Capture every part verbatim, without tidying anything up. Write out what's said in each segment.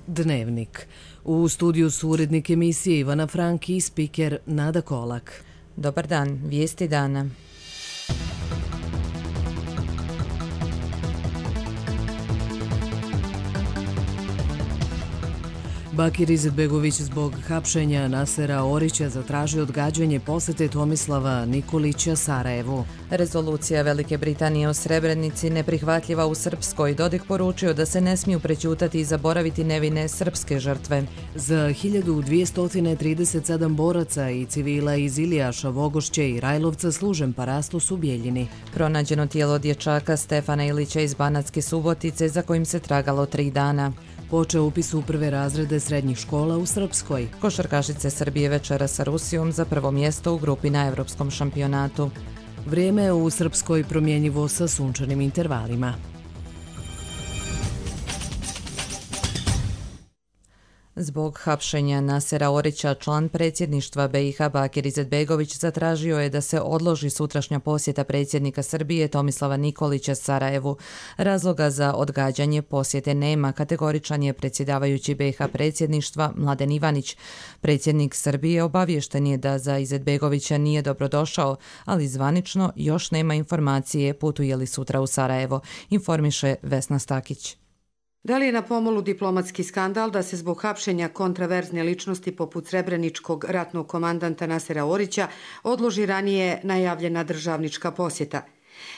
Dnevnik. U studiju su urednik emisije Ivana Frank i spiker Nada Kolak. Dobar dan, vijesti dana. Bakir Izetbegović zbog hapšenja Nasera Orića zatražio odgađanje posete Tomislava Nikolića Sarajevu. Rezolucija Velike Britanije o Srebrenici neprihvatljiva u Srpskoj. Dodik poručio da se ne smiju prećutati i zaboraviti nevine srpske žrtve. Za hiljadu dvjesto trideset sedam boraca i civila iz Ilijaša, Vogošće i Rajlovca služen parastos u Bijeljini. Pronađeno tijelo dječaka Stefana Ilića iz Banatske Subotice za kojim se tragalo tri dana. Počeo upis u prve razrede srednjih škola u Srpskoj. Košarkašice Srbije večera sa Rusijom za prvo mjesto u grupi na Evropskom šampionatu. Vrijeme u Srpskoj promjenjivo sa sunčanim intervalima. Zbog hapšenja Nasera Orića, član predsjedništva B i H Bakir Izetbegović zatražio je da se odloži sutrašnja posjeta predsjednika Srbije Tomislava Nikolića Sarajevu. Razloga za odgađanje posjete nema, kategoričan je predsjedavajući B i H predsjedništva Mladen Ivanić. Predsjednik Srbije obaviješten je da za Izetbegovića nije dobrodošao, ali zvanično još nema informacije putuje li sutra u Sarajevo, informiše Vesna Stakić. Da li je na pomolu diplomatski skandal da se zbog hapšenja kontraverzne ličnosti poput srebreničkog ratnog komandanta Nasera Orića odloži ranije najavljena državnička posjeta?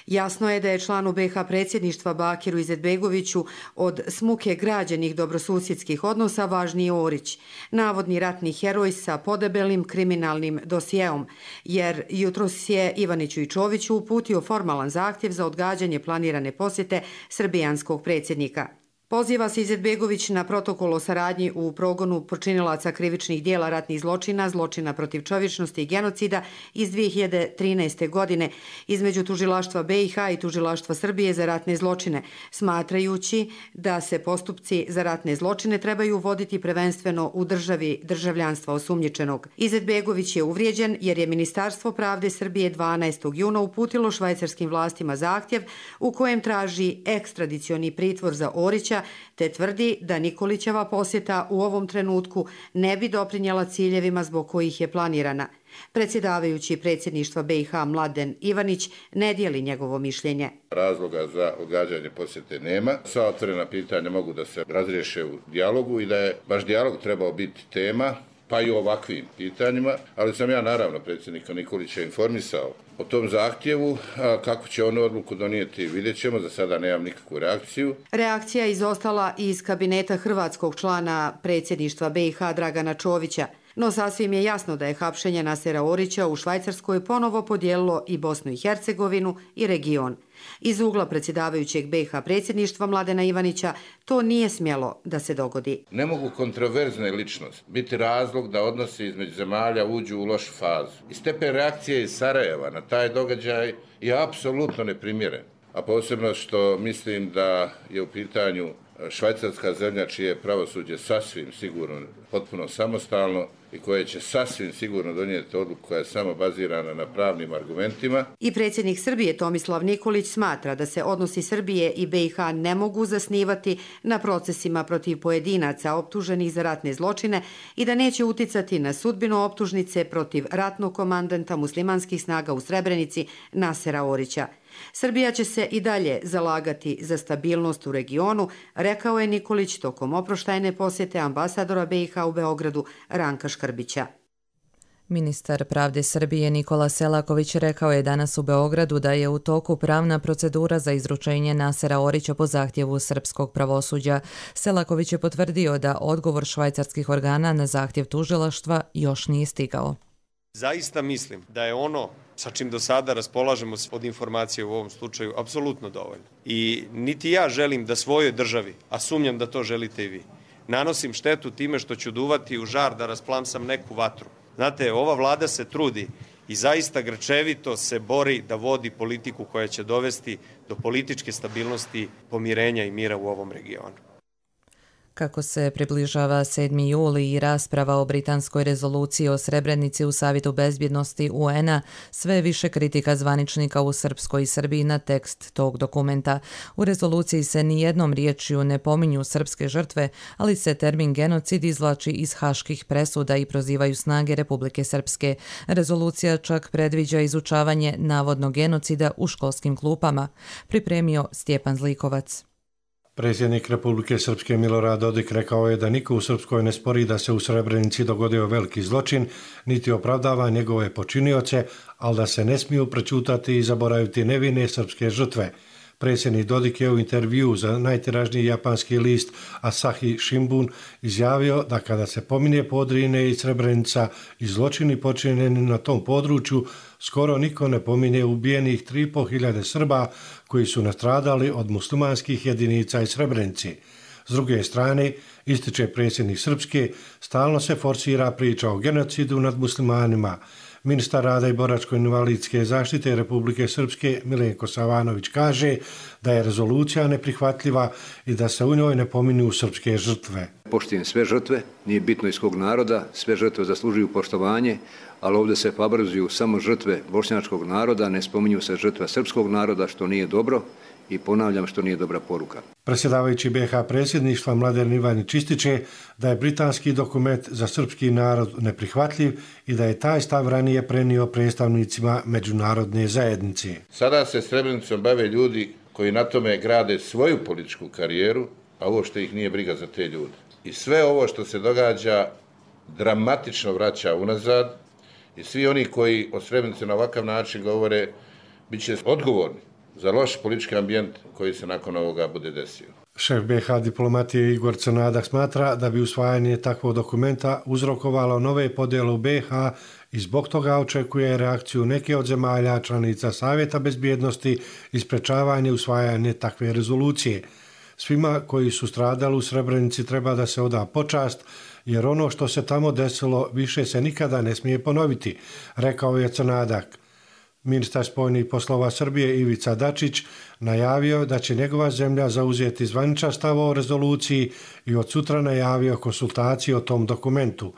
Jasno je da je članu B i H predsjedništva Bakiru Izetbegoviću od smuke građenih dobrosusjedskih odnosa važniji Orić, navodni ratni heroj sa podebelim kriminalnim dosijeom, jer jutros je Ivaniću i Čoviću uputio formalan zahtjev za odgađanje planirane posjete srbijanskog predsjednika. Poziva se Izetbegović na protokol o saradnji u progonu počinilaca krivičnih dijela ratnih zločina, zločina protiv čovječnosti i genocida iz dvije hiljade trinaeste. godine između tužilaštva B i H i tužilaštva Srbije za ratne zločine, smatrajući da se postupci za ratne zločine trebaju voditi prvenstveno u državi državljanstva osumnjičenog. Izetbegović je uvrijeđen jer je Ministarstvo pravde Srbije dvanaestog juna uputilo švajcarskim vlastima zahtjev u kojem traži ekstradicioni pritvor za Orića, te tvrdi da Nikolićeva posjeta u ovom trenutku ne bi doprinjela ciljevima zbog kojih je planirana. Predsjedavajući predsjedništva B i H Mladen Ivanić ne dijeli njegovo mišljenje. Razloga za odgađanje posjete nema. Sva otvorena pitanja mogu da se razriješe u dijalogu i da je baš dijalog trebao biti tema, pa i u ovakvim pitanjima, ali sam ja naravno predsjednika Nikolića informisao o tom zahtjevu, a kako će on odluku donijeti vidjet ćemo, za sada nemam nikakvu reakciju. Reakcija je izostala iz kabineta hrvatskog člana predsjedništva B i H Dragana Čovića, no sasvim je jasno da je hapšenje Nasera Orića u Švajcarskoj ponovo podijelilo i Bosnu i Hercegovinu i region. Iz ugla predsjedavajućeg B i H predsjedništva Mladena Ivanića to nije smjelo da se dogodi. Ne mogu kontroverzne ličnosti biti razlog da odnosi između zemalja uđu u lošu fazu. I stepen reakcije iz Sarajeva na taj događaj je apsolutno neprimjeren. A posebno što mislim da je u pitanju švajcarska zemlja čije je pravosuđe sasvim sigurno potpuno samostalno i koje će sasvim sigurno donijeti odluku koja je samo bazirana na pravnim argumentima. I predsjednik Srbije Tomislav Nikolić smatra da se odnosi Srbije i B i H ne mogu zasnivati na procesima protiv pojedinaca optuženih za ratne zločine i da neće uticati na sudbinu optužnice protiv ratnog komandanta muslimanskih snaga u Srebrenici Nasera Orića. Srbija će se i dalje zalagati za stabilnost u regionu, rekao je Nikolić tokom oproštajne posjete ambasadora B i H u Beogradu Ranka Škrbića. Ministar pravde Srbije Nikola Selaković rekao je danas u Beogradu da je u toku pravna procedura za izručenje Nasera Orića po zahtjevu srpskog pravosuđa. Selaković je potvrdio da odgovor švajcarskih organa na zahtjev tužilaštva još nije stigao. Zaista mislim da je ono sa čim do sada raspolažemo od informacije u ovom slučaju apsolutno dovoljno. I niti ja želim da svojoj državi, a sumnjam da to želite i vi, nanosim štetu time što ću duvati u žar da rasplamsam neku vatru. Znate, ova vlada se trudi i zaista grčevito se bori da vodi politiku koja će dovesti do političke stabilnosti, pomirenja i mira u ovom regionu. Kako se približava sedmi juli i rasprava o britanskoj rezoluciji o Srebrenici u Savjetu bezbjednosti U N A, sve više kritika zvaničnika u Srpskoj i Srbiji na tekst tog dokumenta. U rezoluciji se ni jednom riječju ne pominju srpske žrtve, ali se termin genocid izvlači iz haških presuda i prozivaju snage Republike Srpske. Rezolucija čak predviđa izučavanje navodnog genocida u školskim klupama. Pripremio Stjepan Zlikovac. Predsjednik Republike Srpske Milorad Dodik rekao je da niko u Srpskoj ne spori da se u Srebrenici dogodio veliki zločin, niti opravdava njegove počinioce, ali da se ne smiju prečutati i zaboraviti nevine srpske žrtve. Predsjednik Dodik je u intervjuu za najtiražniji japanski list Asahi Shimbun izjavio da kada se pominje Podrinje i Srebrenica i zločini počinjeni na tom području, skoro niko ne pominje ubijenih tri i pol hiljade Srba koji su nastradali od muslimanskih jedinica i Srebrenici. S druge strane, ističe predsjednik Srpske, stalno se forsira priča o genocidu nad muslimanima. Ministar rada i boračko-invalidske zaštite Republike Srpske Milenko Savanović kaže da je rezolucija neprihvatljiva i da se u njoj ne pominju srpske žrtve. Poštujem sve žrtve, nije bitno iz kog naroda, sve žrtve zaslužuju poštovanje, ali ovdje se favorizuju samo žrtve bošnjačkog naroda, ne spominju se žrtve srpskog naroda, što nije dobro i ponavljam što nije dobra poruka. Predsjedavajući B H predsjedništva Mladen Ivanić ističe da je britanski dokument za srpski narod neprihvatljiv i da je taj stav ranije prenio predstavnicima međunarodne zajednice. Sada se Srebrenicom bave ljudi koji na tome grade svoju političku karijeru, a ovo što ih nije briga za te ljude. I sve ovo što se događa dramatično vraća unazad i svi oni koji o Srebrenici na ovakav način govore bit će odgovorni za loš politički ambijent koji se nakon ovoga bude desio. Šef B H diplomatije Igor Crnadak smatra da bi usvajanje takvog dokumenta uzrokovalo nove podjele u B H i zbog toga očekuje reakciju neke od zemalja članica Savjeta bezbjednosti i sprečavanje usvajanje takve rezolucije. Svima koji su stradali u Srebrenici treba da se oda počast, jer ono što se tamo desilo više se nikada ne smije ponoviti, rekao je Crnadak. Ministar spoljnih poslova Srbije Ivica Dačić najavio da će njegova zemlja zauzeti zvaničan stav o rezoluciji i od sutra najavio konsultacije o tom dokumentu.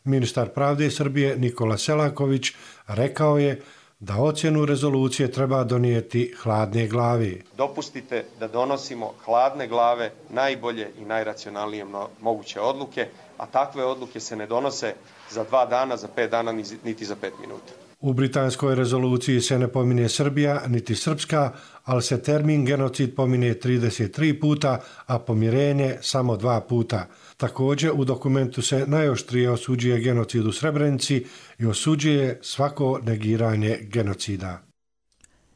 Ministar pravde Srbije Nikola Selaković rekao je da ocjenu rezolucije treba donijeti hladne glave. Dopustite da donosimo hladne glave najbolje i najracionalnije moguće odluke, a takve odluke se ne donose za dva dana, za pet dana, niti za pet minuta. U britanskoj rezoluciji se ne pominje Srbija niti Srpska, ali se termin genocid pominje trideset tri puta, a pomirenje samo dva puta. Također u dokumentu se najoštrije osuđuje genocid u Srebrenici i osuđuje svako negiranje genocida.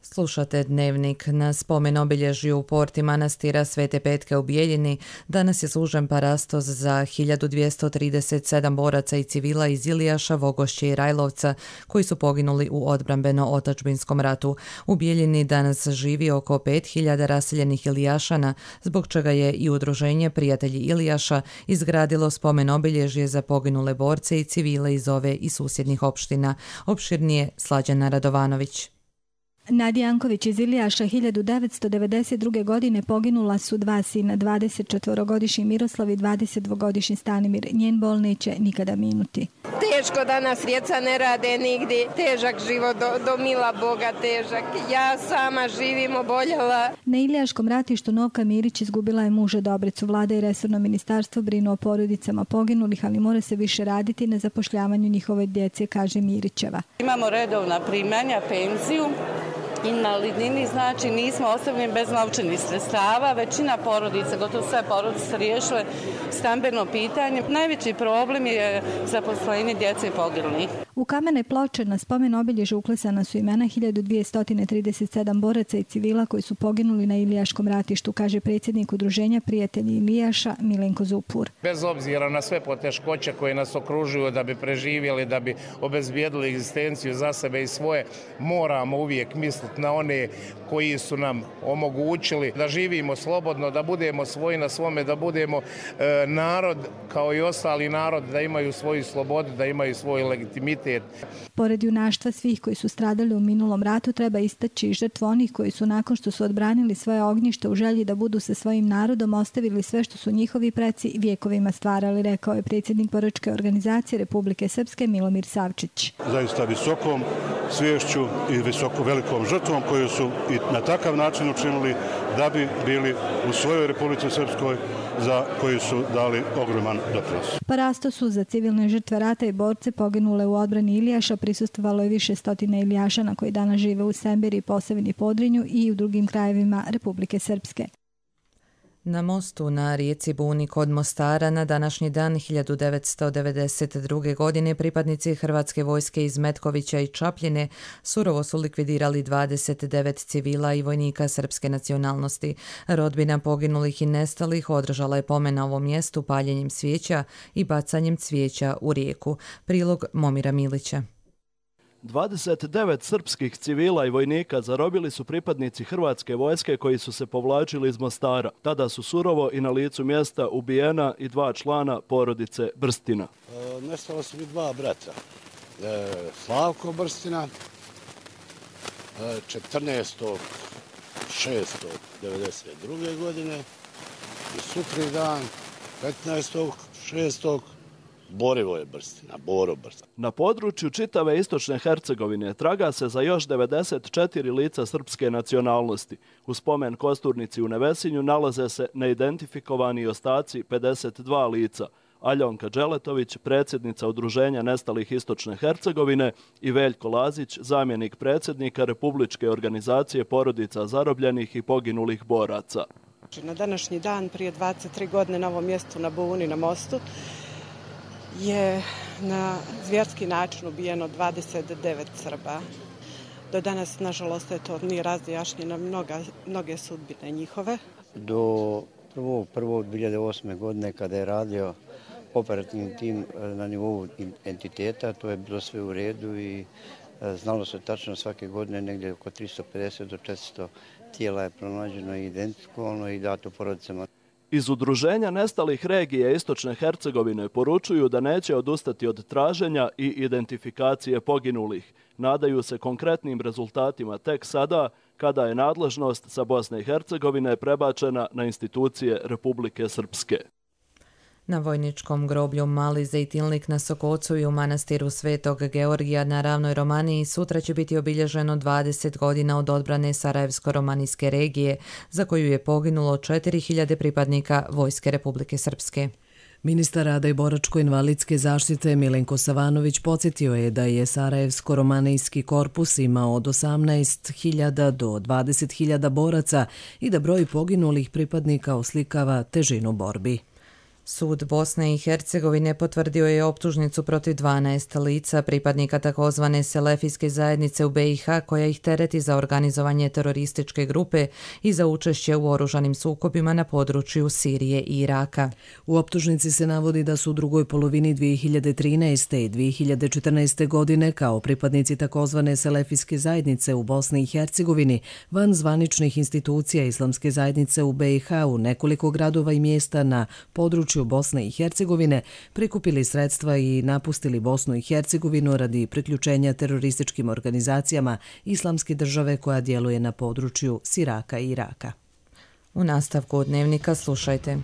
Slušate Dnevnik. Na spomen obilježju u porti manastira Svete Petke u Bijeljini danas je služen parastos za hiljadu dvjesto trideset sedam boraca i civila iz Ilijaša, Vogošće i Rajlovca koji su poginuli u odbrambeno-otačbinskom ratu. U Bijeljini danas živi oko pet hiljada raseljenih Ilijašana, zbog čega je i udruženje Prijatelji Ilijaša izgradilo spomen obilježje za poginule borce i civile iz ove i susjednih opština. Opširnije Slađana Radovanović. Nadija Janković iz Ilijaša hiljadu devetsto devedeset druge. godine poginula su dva sina, dvadesetčetvorogodišnji Miroslav i dvadesetdvogodišnji Stanimir. Njen bol neće nikada minuti. Teško danas djeca ne rade nigdje, težak život do, do mila Boga, težak. Ja sama živim oboljela. Na Ilijaškom ratištu Novka Mirić izgubila je muža Dobricu. Vlada i resorno ministarstvo brinu o porodicama poginulih, ali mora se više raditi na zapošljavanju njihove djece, kaže Mirićeva. Imamo redovna primanja, penziju, invalidnini, znači nismo ostavljeni bez novčanih sredstava. Većina porodica, gotovo sve porodice riješile stambeno pitanje. Najveći problem je zaposlenje djece i poginulih. U kamene ploče na spomen obilježju uklesana su imena hiljadu dvjesto trideset sedam boraca i civila koji su poginuli na Ilijaškom ratištu, kaže predsjednik udruženja Prijatelji Ilijaša Milenko Zupur. Bez obzira na sve poteškoće koje nas okružuju da bi preživjeli, da bi obezbijedili egzistenciju za sebe i svoje, moramo uvijek misliti na one koji su nam omogućili da živimo slobodno, da budemo svoji na svome, da budemo e, narod kao i ostali narod, da imaju svoju slobodu, da imaju svoj legitimitet identitet. Pored junaštva svih koji su stradali u minulom ratu, treba istaći i žrtvu onih koji su nakon što su odbranili svoje ognjište u želji da budu sa svojim narodom ostavili sve što su njihovi preci vjekovima stvarali, rekao je predsjednik Boračke organizacije Republike Srpske Milomir Savčić. Zaista visokom sviješću i visoko velikom žrtvom koju su i na takav način učinili da bi bili u svojoj Republici Srpskoj, za koju su dali ogroman doprinos. Parasto su za civilne žrtve rata i borce poginule u odbrani Ilijaša prisustvovalo je više stotina Ilijašana koji danas žive u Sembiri, Posavini, Podrinju i u drugim krajevima Republike Srpske. Na mostu na rijeci Buni kod Mostara na današnji dan hiljadu devetsto devedeset druge. godine pripadnici Hrvatske vojske iz Metkovića i Čapljine surovo su likvidirali dvadeset devet civila i vojnika srpske nacionalnosti. Rodbina poginulih i nestalih održala je pomen na ovom mjestu paljenjem svijeća i bacanjem cvijeća u rijeku. Prilog Momira Milića. dvadeset devet srpskih civila i vojnika zarobili su pripadnici Hrvatske vojske koji su se povlačili iz Mostara. Tada su surovo i na licu mjesta ubijena i dva člana porodice Brstina. E, nestalo su mi dva brata. E, Slavko Brstina, e, četrnaestog šestog devedeset druge. godine i sutri dan, petnaestog šestog Borivoje Brstina, Boro Brstina. Na području čitave istočne Hercegovine traga se za još devedeset četiri lica srpske nacionalnosti. U spomen kosturnici u Nevesinju nalaze se neidentifikovani ostaci pedeset dva lica. Aljonka Đeletović, predsjednica Udruženja nestalih istočne Hercegovine, i Veljko Lazić, zamjenik predsjednika Republičke organizacije porodica zarobljenih i poginulih boraca. Na današnji dan prije dvadeset tri godine na ovom mjestu na Buni, na mostu, je na zvjerski način ubijeno dvadeset devet Srba. Do danas, nažalost, to nije razjašnjeno mnoge sudbine njihove. Do prvog prvog dvije hiljade osme. godine kada je radio operativni tim na nivou entiteta, to je bilo sve u redu i znalo se tačno svake godine negdje oko tristo pedeset do četiristo tijela je pronađeno i identifikovano i dato porodicama. Iz Udruženja nestalih regije istočne Hercegovine poručuju da neće odustati od traženja i identifikacije poginulih. Nadaju se konkretnim rezultatima tek sada, kada je nadležnost sa Bosne i Hercegovine prebačena na institucije Republike Srpske. Na vojničkom groblju Mali Zejtilnik na Sokocu i u manastiru Svetog Georgija na Ravnoj Romaniji sutra će biti obilježeno dvadeset godina od odbrane Sarajevsko-romanijske regije, za koju je poginulo četiri hiljade pripadnika Vojske Republike Srpske. Ministar rada i boračko-invalidske zaštite Milenko Savanović podsjetio je da je Sarajevsko-romanijski korpus imao od osamnaest hiljada do dvadeset hiljada boraca i da broj poginulih pripadnika oslikava težinu borbi. Sud Bosne i Hercegovine potvrdio je optužnicu protiv dvanaest lica pripadnika takozvane selefijske zajednice u B i H koja ih tereti za organizovanje terorističke grupe i za učešće u oružanim sukobima na području Sirije i Iraka. U optužnici se navodi da su u drugoj polovini dvije hiljade trinaeste. i dvije hiljade četrnaeste. godine kao pripadnici takozvane selefijske zajednice u Bosni i Hercegovini van zvaničnih institucija islamske zajednice u B i H u nekoliko gradova i mjesta na području Bosne i Hercegovine prikupili sredstva i napustili Bosnu i Hercegovinu radi priključenja terorističkim organizacijama Islamske države koja djeluje na području Siraka i Iraka. U nastavku dnevnika slušajte.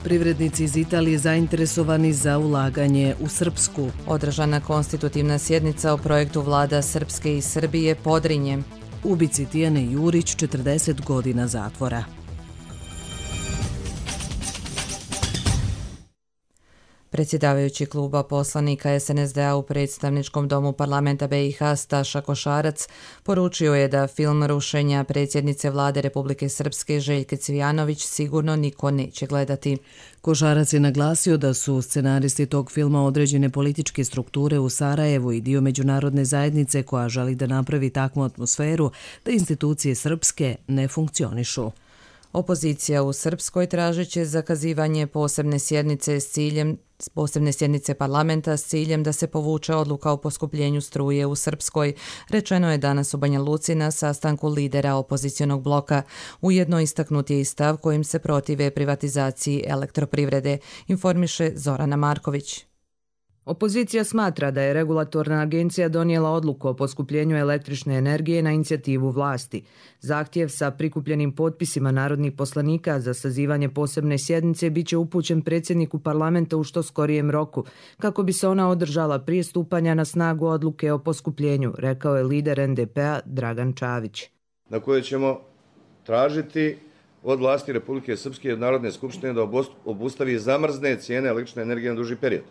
Privrednici iz Italije zainteresovani za ulaganje u Srpsku. Održana konstitutivna sjednica o projektu vlada Srpske i Srbije Podrinje. Ubici Tijane Jurić četrdeset godina zatvora. Predsjedavajući kluba poslanika S N S D A u predstavničkom domu parlamenta B i H Staša Košarac poručio je da film rušenja predsjednice vlade Republike Srpske Željke Cvijanović sigurno niko neće gledati. Košarac je naglasio da su scenaristi tog filma određene političke strukture u Sarajevu i dio međunarodne zajednice koja želi da napravi takvu atmosferu da institucije srpske ne funkcionišu. Opozicija u Srpskoj tražit će zakazivanje posebne sjednice s ciljem posebne sjednice parlamenta s ciljem da se povuče odluka o poskupljenju struje u Srpskoj, rečeno je danas u Banja Luci na sastanku lidera opozicionog bloka. Ujedno istaknut je i stav kojim se protive privatizaciji elektroprivrede, informiše Zorana Marković. Opozicija smatra da je regulatorna agencija donijela odluku o poskupljenju električne energije na inicijativu vlasti. Zahtjev sa prikupljenim potpisima narodnih poslanika za sazivanje posebne sjednice biće upućen predsjedniku parlamenta u što skorijem roku, kako bi se ona održala prije stupanja na snagu odluke o poskupljenju, rekao je lider en de pe-a Dragan Čavić. Na koje ćemo tražiti od vlasti Republike Srpske i od Narodne skupštine da obustavi zamrzne cijene električne energije na duži period.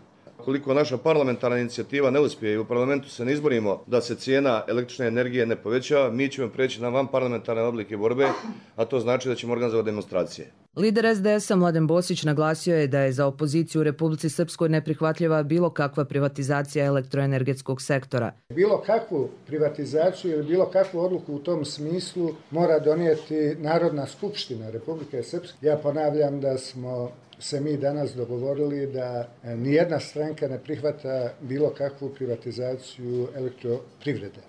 Koliko naša parlamentarna inicijativa ne uspije i u parlamentu se ne izborimo da se cijena električne energije ne povećava, mi ćemo preći na vanparlamentarne oblike borbe, a to znači da ćemo organizovati demonstracije. Lider es de es-a Mladen Bosić naglasio je da je za opoziciju u Republici Srpskoj neprihvatljiva bilo kakva privatizacija elektroenergetskog sektora. Bilo kakvu privatizaciju ili bilo kakvu odluku u tom smislu mora donijeti Narodna skupština Republike Srpske. Ja ponavljam da smo se mi danas dogovorili da nijedna stranka ne prihvata bilo kakvu privatizaciju elektroprivrede.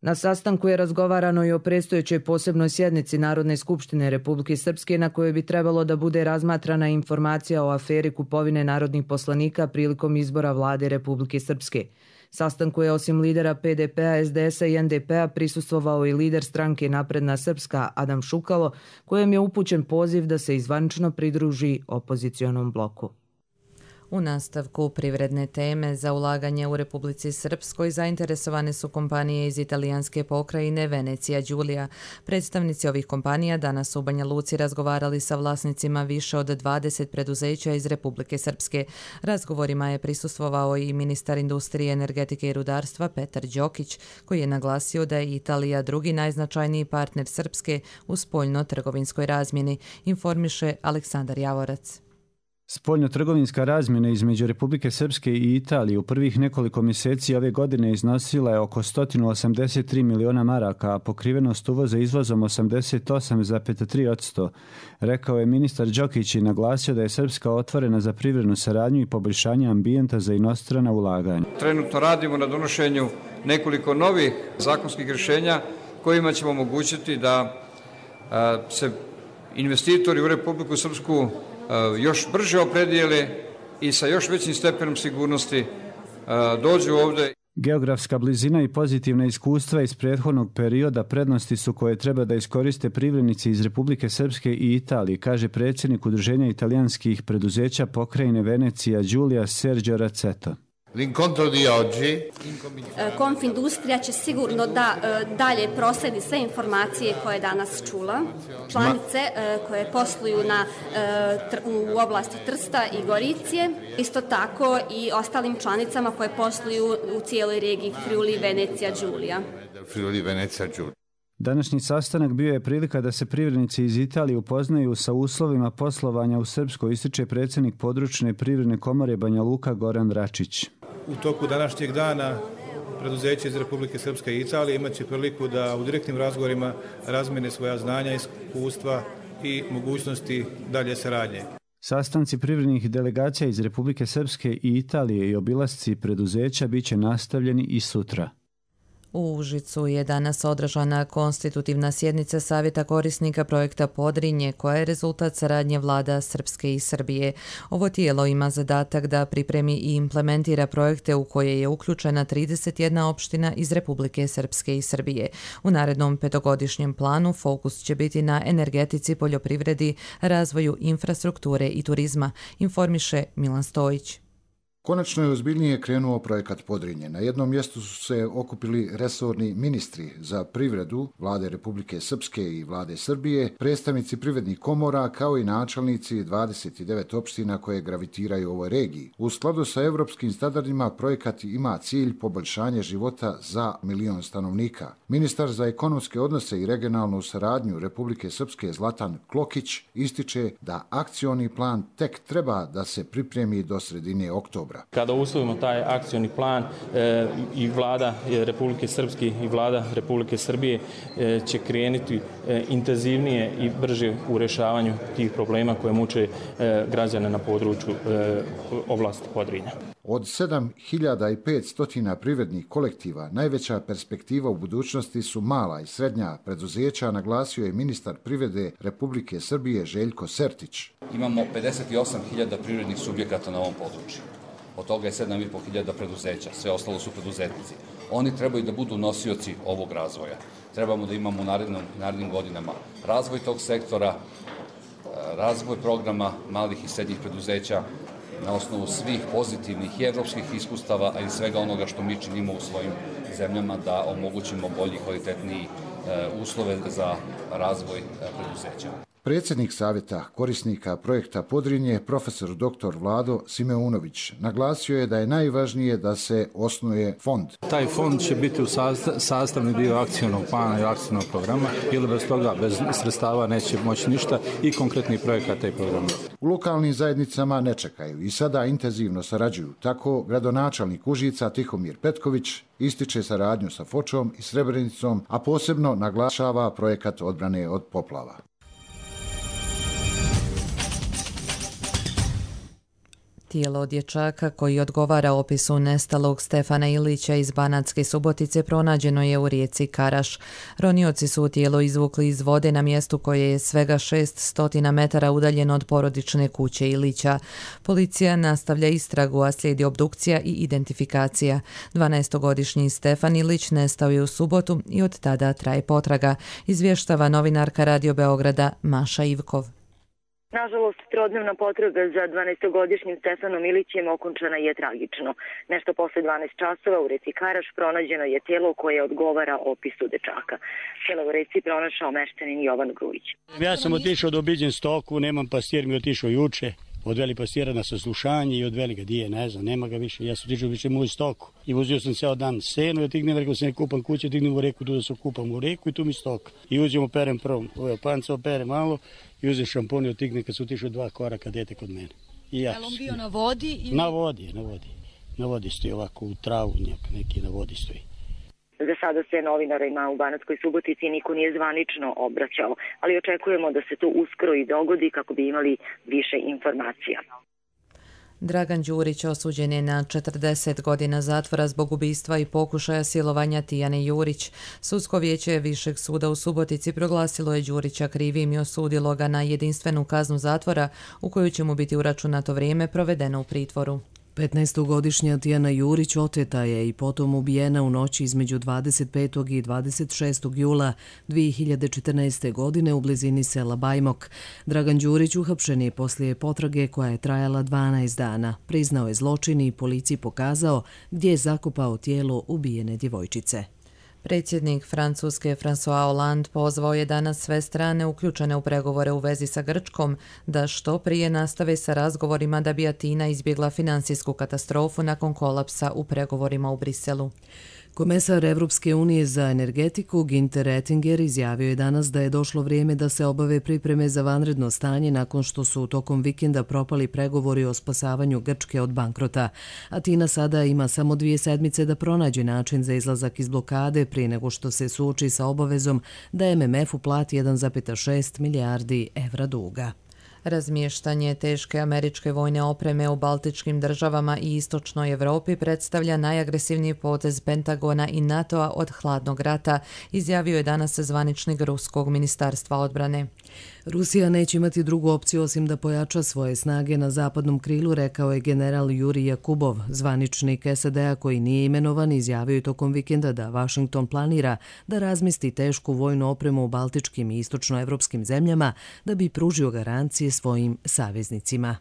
Na sastanku je razgovarano i o predstojećoj posebnoj sjednici Narodne skupštine Republike Srpske na kojoj bi trebalo da bude razmatrana informacija o aferi kupovine narodnih poslanika prilikom izbora vlade Republike Srpske. Sastanku je osim lidera pe de pe-a, es de es-a i en de pe-a prisustvovao i lider stranke Napredna Srpska Adam Šukalo, kojem je upućen poziv da se zvanično pridruži opozicionom bloku. U nastavku privredne teme za ulaganje u Republici Srpskoj zainteresovane su kompanije iz italijanske pokrajine Venecija Giulia. Predstavnici ovih kompanija danas u Banja Luci razgovarali sa vlasnicima više od dvadeset preduzeća iz Republike Srpske. Razgovorima je prisustvovao i ministar industrije, energetike i rudarstva Petar Đokić, koji je naglasio da je Italija drugi najznačajniji partner Srpske u spoljno-trgovinskoj razmjeni, informiše Aleksandar Javorac. Spoljno-trgovinska razmjena između Republike Srpske i Italije u prvih nekoliko mjeseci ove godine iznosila je oko sto osamdeset tri miliona maraka, a pokrivenost uvoza izvozom osamdeset osam zarez tri posto, rekao je ministar Đokić i naglasio da je Srpska otvorena za privrednu saradnju i poboljšanje ambijenta za inostrana ulaganja. Trenutno radimo na donošenju nekoliko novih zakonskih rješenja kojima ćemo omogućiti da a, se investitori u Republiku Srpsku još brže opredijele i sa još većim stepenom sigurnosti dođu ovdje. Geografska blizina i pozitivna iskustva iz prethodnog perioda prednosti su koje treba da iskoriste privrednici iz Republike Srpske i Italije, kaže predsjednik Udruženja italijanskih preduzeća pokrajine Venecija Giulia Sergio Raceto. L'incontro di oggi Konfindustrija će sigurno da dalje prosledi sve informacije koje je danas čula. Članice koje posluju na, u oblasti Trsta i Goricije, isto tako i ostalim članicama koje posluju u cijeloj regiji Friuli Venecija Giulia. Friuli Venecija Giulia. Današnji sastanak bio je prilika da se privrednici iz Italije upoznaju sa uslovima poslovanja u Srpskoj, ističe predsjednik područne privredne komore Banja Luka Goran Račić. U toku današnjeg dana preduzeće iz Republike Srpske i Italije imat će priliku da u direktnim razgovorima razmene svoja znanja, iskustva i mogućnosti dalje saradnje. Sastanci privrednih delegacija iz Republike Srpske i Italije i obilasci preduzeća biće nastavljeni i sutra. U Užicu je danas održana konstitutivna sjednica Savjeta korisnika projekta Podrinje, koja je rezultat saradnje vlada Srpske i Srbije. Ovo tijelo ima zadatak da pripremi i implementira projekte u koje je uključena trideset jedna opština iz Republike Srpske i Srbije. U narednom petogodišnjem planu fokus će biti na energetici, poljoprivredi, razvoju infrastrukture i turizma, informiše Milan Stojić. Konačno je ozbiljnije krenuo projekat Podrinje. Na jednom mjestu su se okupili resorni ministri za privredu vlade Republike Srpske i vlade Srbije, predstavnici privrednih komora kao i načelnici dvadeset devet opština koje gravitiraju u ovoj regiji. U skladu sa evropskim standardima projekat ima cilj poboljšanje života za milion stanovnika. Ministar za ekonomske odnose i regionalnu saradnju Republike Srpske Zlatan Klokić ističe da akcioni plan tek treba da se pripremi do sredine oktobra. oktobra. Kada usvojimo taj akcioni plan e, i vlada Republike Srpske i vlada Republike Srbije e, će krenuti e, intenzivnije i brže u rešavanju tih problema koje muče e, građane na području e, oblasti Podrinja. Od sedam hiljada petsto privrednih kolektiva najveća perspektiva u budućnosti su mala i srednja preduzeća, naglasio je ministar privrede Republike Srbije Željko Sertić. Imamo pedeset osam hiljada privrednih subjekata na ovom području. Od toga je sedam i po hiljada preduzeća, sve ostalo su preduzetnici. Oni trebaju da budu nosioci ovog razvoja. Trebamo da imamo u narednim, narednim godinama razvoj tog sektora, razvoj programa malih i srednjih preduzeća, na osnovu svih pozitivnih i evropskih iskustava, a i svega onoga što mi činimo u svojim zemljama da omogućimo bolji i kvalitetniji uslove za razvoj preduzeća. Predsjednik savjeta korisnika projekta Podrinje, profesor doktor Vlado Simeunović, naglasio je da je najvažnije da se osnuje fond. Taj fond će biti u sastavni dio akcijnog plana i akcijnog programa, ili bez toga, bez sredstava neće moći ništa i konkretnih projekata i programa. U lokalnim zajednicama ne čekaju i sada intenzivno sarađuju. Tako gradonačelnik Užica Tihomir Petković ističe saradnju sa Fočom i Srebrenicom, a posebno naglašava projekat odbrane od poplava. Tijelo dječaka koji odgovara opisu nestalog Stefana Ilića iz Banatske Subotice pronađeno je u rijeci Karaš. Ronioci su tijelo izvukli iz vode na mjestu koje je svega šessto metara udaljeno od porodične kuće Ilića. Policija nastavlja istragu, a slijedi obdukcija i identifikacija. dvanaestogodišnji Stefan Ilić nestao je u subotu i od tada traje potraga, izvještava novinarka Radio Beograda Maša Ivkov. Nažalost, trodnevna potraga za dvanaestogodišnjim Stefanom Ilićem okončana je tragično. Nešto posle dvanaest časova u reci Karaš pronađeno je tijelo koje odgovara opisu dečaka. Tijelo u reci pronašao meštanin Jovan Grujić. Ja sam otišao da obiđem stoku, nemam pastir, mi otišao juče. Odveli pastira na saslušanje i odveli ga dije, ne znam, nema ga više. Ja sam otišao više moju stoku i vozio sam ceo dan senu, ja tignem, rekao se ne kupam kuće, tignem u reku, tu da se kupam u reku i tu mi stoka. I uzimo perem prvom, ovo panca opere malo i uzem šampon i otigne kad su otišao dva koraka dete kod mene. I ja. Je li on bio na vodi? Ili... Na vodi, na vodi. Na vodi stoji ovako u travu, neki na vodi stoji. Za sada se novinarima u Banatskoj Subotici niko nije zvanično obraćao, ali očekujemo da se to uskoro i dogodi kako bi imali više informacija. Dragan Đurić osuđen je na četrdeset godina zatvora zbog ubistva i pokušaja silovanja Tijane Jurić. Sudsko vijeće Višeg suda u Subotici proglasilo je Đurića krivim i osudilo ga na jedinstvenu kaznu zatvora u koju će mu biti uračunato vrijeme provedeno u pritvoru. petnaestogodišnja Tijana Jurić oteta je i potom ubijena u noći između dvadeset petog i dvadeset šestog jula dvije hiljade četrnaeste. godine u blizini sela Bajmok. Dragan Đurić uhapšen je poslije potrage koja je trajala dvanaest dana. Priznao je zločin i policiji pokazao gdje je zakopao tijelo ubijene djevojčice. Predsjednik Francuske François Hollande pozvao je danas sve strane uključene u pregovore u vezi sa Grčkom da što prije nastave sa razgovorima da bi Atina izbjegla finansijsku katastrofu nakon kolapsa u pregovorima u Briselu. Komesar Evropske unije za energetiku Günther Oettinger izjavio je danas da je došlo vrijeme da se obave pripreme za vanredno stanje nakon što su tokom vikenda propali pregovori o spasavanju Grčke od bankrota. Atina sada ima samo dvije sedmice da pronađe način za izlazak iz blokade prije nego što se suoči sa obavezom da M M F uplati jedan zarez šest milijardi evra duga. Razmještanje teške američke vojne opreme u baltičkim državama i istočnoj Evropi predstavlja najagresivniji potez Pentagona i NATO-a od hladnog rata, izjavio je danas zvaničnik Ruskog ministarstva odbrane. Rusija neće imati drugu opciju osim da pojača svoje snage na zapadnom krilu, rekao je general Jurij Jakubov. Zvaničnik S A D-a koji nije imenovan izjavio je tokom vikenda da Washington planira da razmesti tešku vojnu opremu u baltičkim i istočnoevropskim zemljama da bi pružio garancije svojim saveznicima.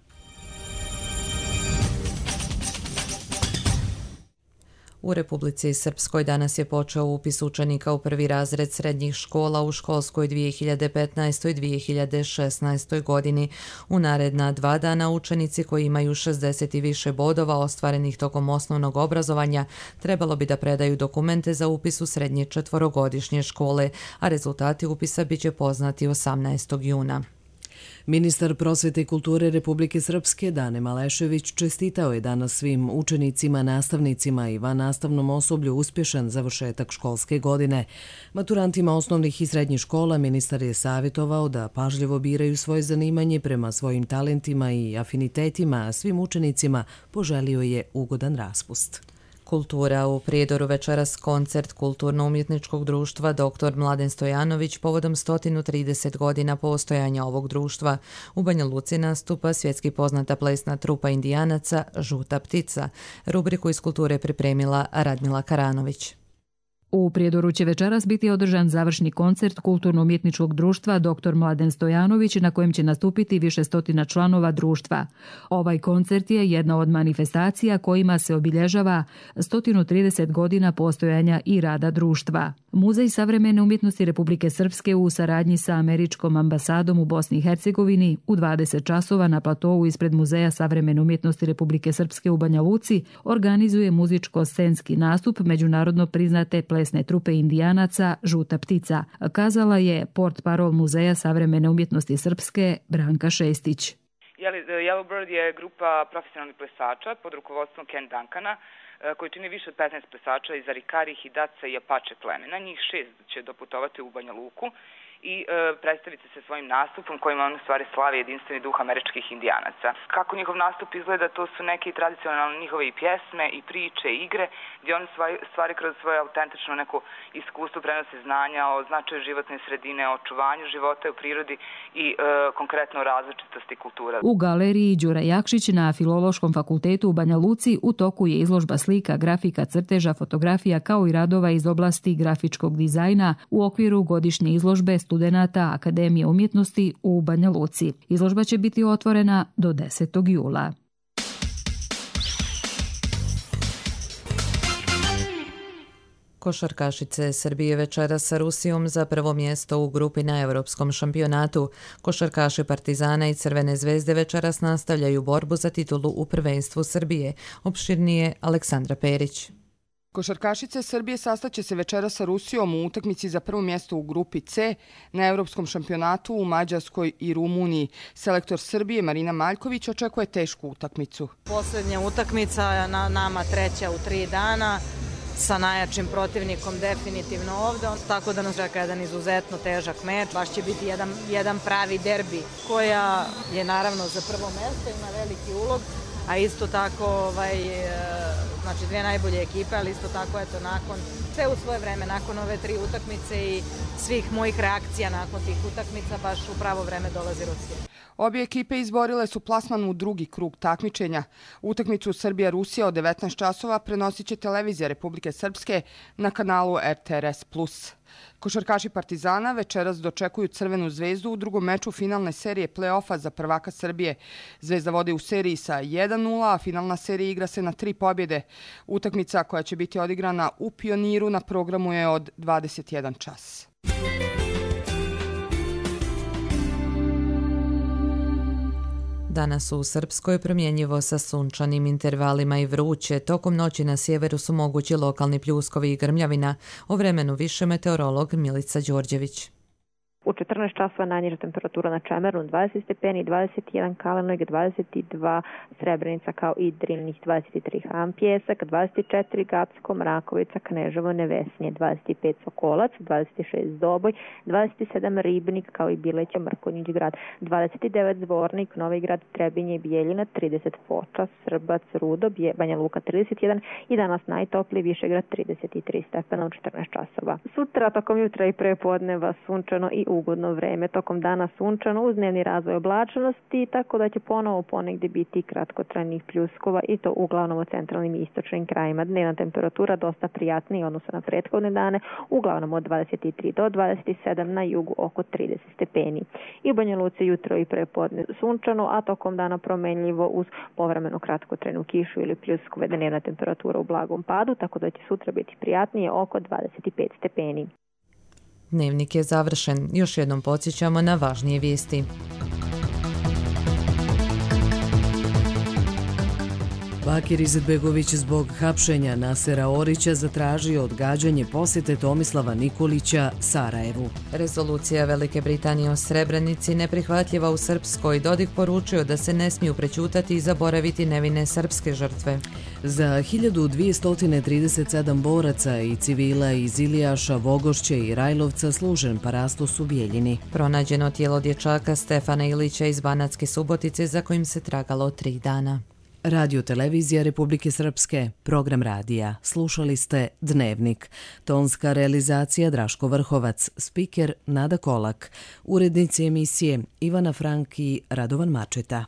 U Republici Srpskoj danas je počeo upis učenika u prvi razred srednjih škola u školskoj dvije hiljade petnaestoj dvije hiljade šesnaestoj. godini. U naredna dva dana učenici koji imaju šezdeset i više bodova ostvarenih tokom osnovnog obrazovanja trebalo bi da predaju dokumente za upis u srednje četvorogodišnje škole, a rezultati upisa biće poznati osamnaestog juna. Ministar prosvete i kulture Republike Srpske Dane Malešević čestitao je danas svim učenicima, nastavnicima i vannastavnom osoblju uspješan završetak školske godine. Maturantima osnovnih i srednjih škola ministar je savjetovao da pažljivo biraju svoje zanimanje prema svojim talentima i afinitetima, a svim učenicima poželio je ugodan raspust. Kultura u Prijedoru večeras koncert Kulturno-umjetničkog društva doktor Mladen Stojanović povodom sto trideset godina postojanja ovog društva. U Banja Luci nastupa svjetski poznata plesna trupa Indijanaca Žuta ptica. Rubriku iz kulture pripremila Radmila Karanović. U Prijedoru će večeras biti održan završni koncert Kulturno-umjetničkog društva doktor Mladen Stojanović na kojem će nastupiti više stotina članova društva. Ovaj koncert je jedna od manifestacija kojima se obilježava sto trideset godina postojanja i rada društva. Muzej savremene umjetnosti Republike Srpske u saradnji sa američkom ambasadom u Bosni i Hercegovini u dvadeset časova na platovu ispred Muzeja savremene umjetnosti Republike Srpske u Banja Luci organizuje muzičko-scenski nastup međunarodno priznate plesne trupe Indijanaca Žuta ptica, kazala je portparol Muzeja savremene umjetnosti Srpske Branka Šestić. Yellowbird je grupa profesionalnih plesača pod rukovodstvom Ken Duncana koji čini više od petnaest plesača iz Arikari, Hidatsa i Apache plemena. Njih šest će doputovati u Banja Luku i e, predstaviti se svojim nastupom kojima on u stvari slavi jedinstveni duh američkih Indijanaca. Kako njihov nastup izgleda, to su neke tradicionalne njihove i pjesme, i priče, i igre, gdje oni stvari kroz svoje autentično neko iskustvo prenose znanja o značaju životne sredine, o očuvanju života u prirodi i e, konkretno o različitosti kultura. U galeriji Đura Jakšić na Filološkom fakultetu u Banja Luci u toku je izložba slika, grafika, crteža, fotografija kao i radova iz oblasti grafičkog dizajna u okviru godišnje izložbe studenata Akademije umjetnosti u Banja Luci. Izložba će biti otvorena do desetog jula. Košarkašice Srbije večeras sa Rusijom za prvo mjesto u grupi na Evropskom šampionatu. Košarkaši Partizana i Crvene zvezde večeras nastavljaju borbu za titulu u prvenstvu Srbije. Opširnije Aleksandra Perić. Košarkašice Srbije sastaće se večera sa Rusijom u utakmici za prvo mjesto u grupi C na Evropskom šampionatu u Mađarskoj i Rumuniji. Selektor Srbije Marina Maljković očekuje tešku utakmicu. Posljednja utakmica na nama treća u tri dana sa najjačim protivnikom definitivno ovdje, tako da nas čeka jedan izuzetno težak meč. Baš će biti jedan, jedan pravi derbi koja je naravno za prvo mjesto, ima veliki ulog, a isto tako ovaj, znači dvije najbolje ekipe, ali isto tako eto nakon sve u svoje vreme, nakon ove tri utakmice i svih mojih reakcija nakon tih utakmica, baš u pravo vreme dolazi Rusija. Obje ekipe izborile su plasman u drugi krug takmičenja. Utakmicu Srbija-Rusija od devetnaest časova prenosit će televizija Republike Srpske na kanalu R T R S plus. Košarkaši Partizana večeras dočekuju Crvenu zvezdu u drugom meču finalne serije play-offa za prvaka Srbije. Zvezda vodi u seriji sa jedan nula, a finalna serija igra se na tri pobjede. Utakmica koja će biti odigrana u Pioniru na programu je od dvadeset jedan čas. Danas u Srpskoj promjenjivo sa sunčanim intervalima i vruće. Tokom noći na sjeveru su mogući lokalni pljuskovi i grmljavina. O vremenu više meteorolog Milica Đorđević. U četrnaest časova najniža temperatura na Čemernu dvadeset stepeni, dvadeset jedan Kalemegdje, dvadeset dva Srebrenica kao i Drinih, dvadeset tri Ham Pjesak, dvadeset četiri Gacko, Mrakovica, Kneževo, Nevesinje, dvadeset pet Sokolac, dvadeset šest Doboj, dvadeset sedam Ribnik kao i Bileće, Mrkonjić grad, dvadeset devet Zvornik, Novi grad, Trebinje i Bijeljina, trideset Foča, Srbac, Rudo, Banja Luka trideset jedan i danas najtopliji Višegrad trideset tri stepena u četrnaest časova. Sutra tokom jutra i prepodneva sunčano i ugodno vreme, tokom dana sunčano uz dnevni razvoj oblačnosti, tako da će ponovo ponegdje biti kratkotrajnih pljuskova i to uglavnom u centralnim i istočnim krajima. Dnevna temperatura dosta prijatnija odnosno na prethodne dane, uglavnom od dvadeset tri do dvadeset sedam, na jugu oko trideset stepeni. I u Banja Luci jutro i prepodne sunčano, a tokom dana promenljivo uz povremeno kratkotrajnu kišu ili pljuskove, dnevna temperatura u blagom padu, tako da će sutra biti prijatnije oko dvadeset pet stepeni. Dnevnik je završen. Još jednom podsjećamo na važnije vijesti. Bakir Izetbegović zbog hapšenja Nasera Orića zatražio odgađanje posjete Tomislava Nikolića Sarajevu. Rezolucija Velike Britanije o Srebrenici neprihvatljiva u Srpskoj. Dodik poručio da se ne smiju prećutati i zaboraviti nevine srpske žrtve. Za hiljadu dvjesto trideset sedam boraca i civila iz Ilijaša, Vogošće i Rajlovca služen parastos u Bijeljini. Pronađeno tijelo dječaka Stefana Ilića iz Banatske Subotice za kojim se tragalo tri dana. Radio Televizija Republike Srpske, program radija. Slušali ste Dnevnik. Tonska realizacija Draško Vrhovac, spiker Nada Kolak, urednici emisije Ivana Frank i Radovan Mačeta.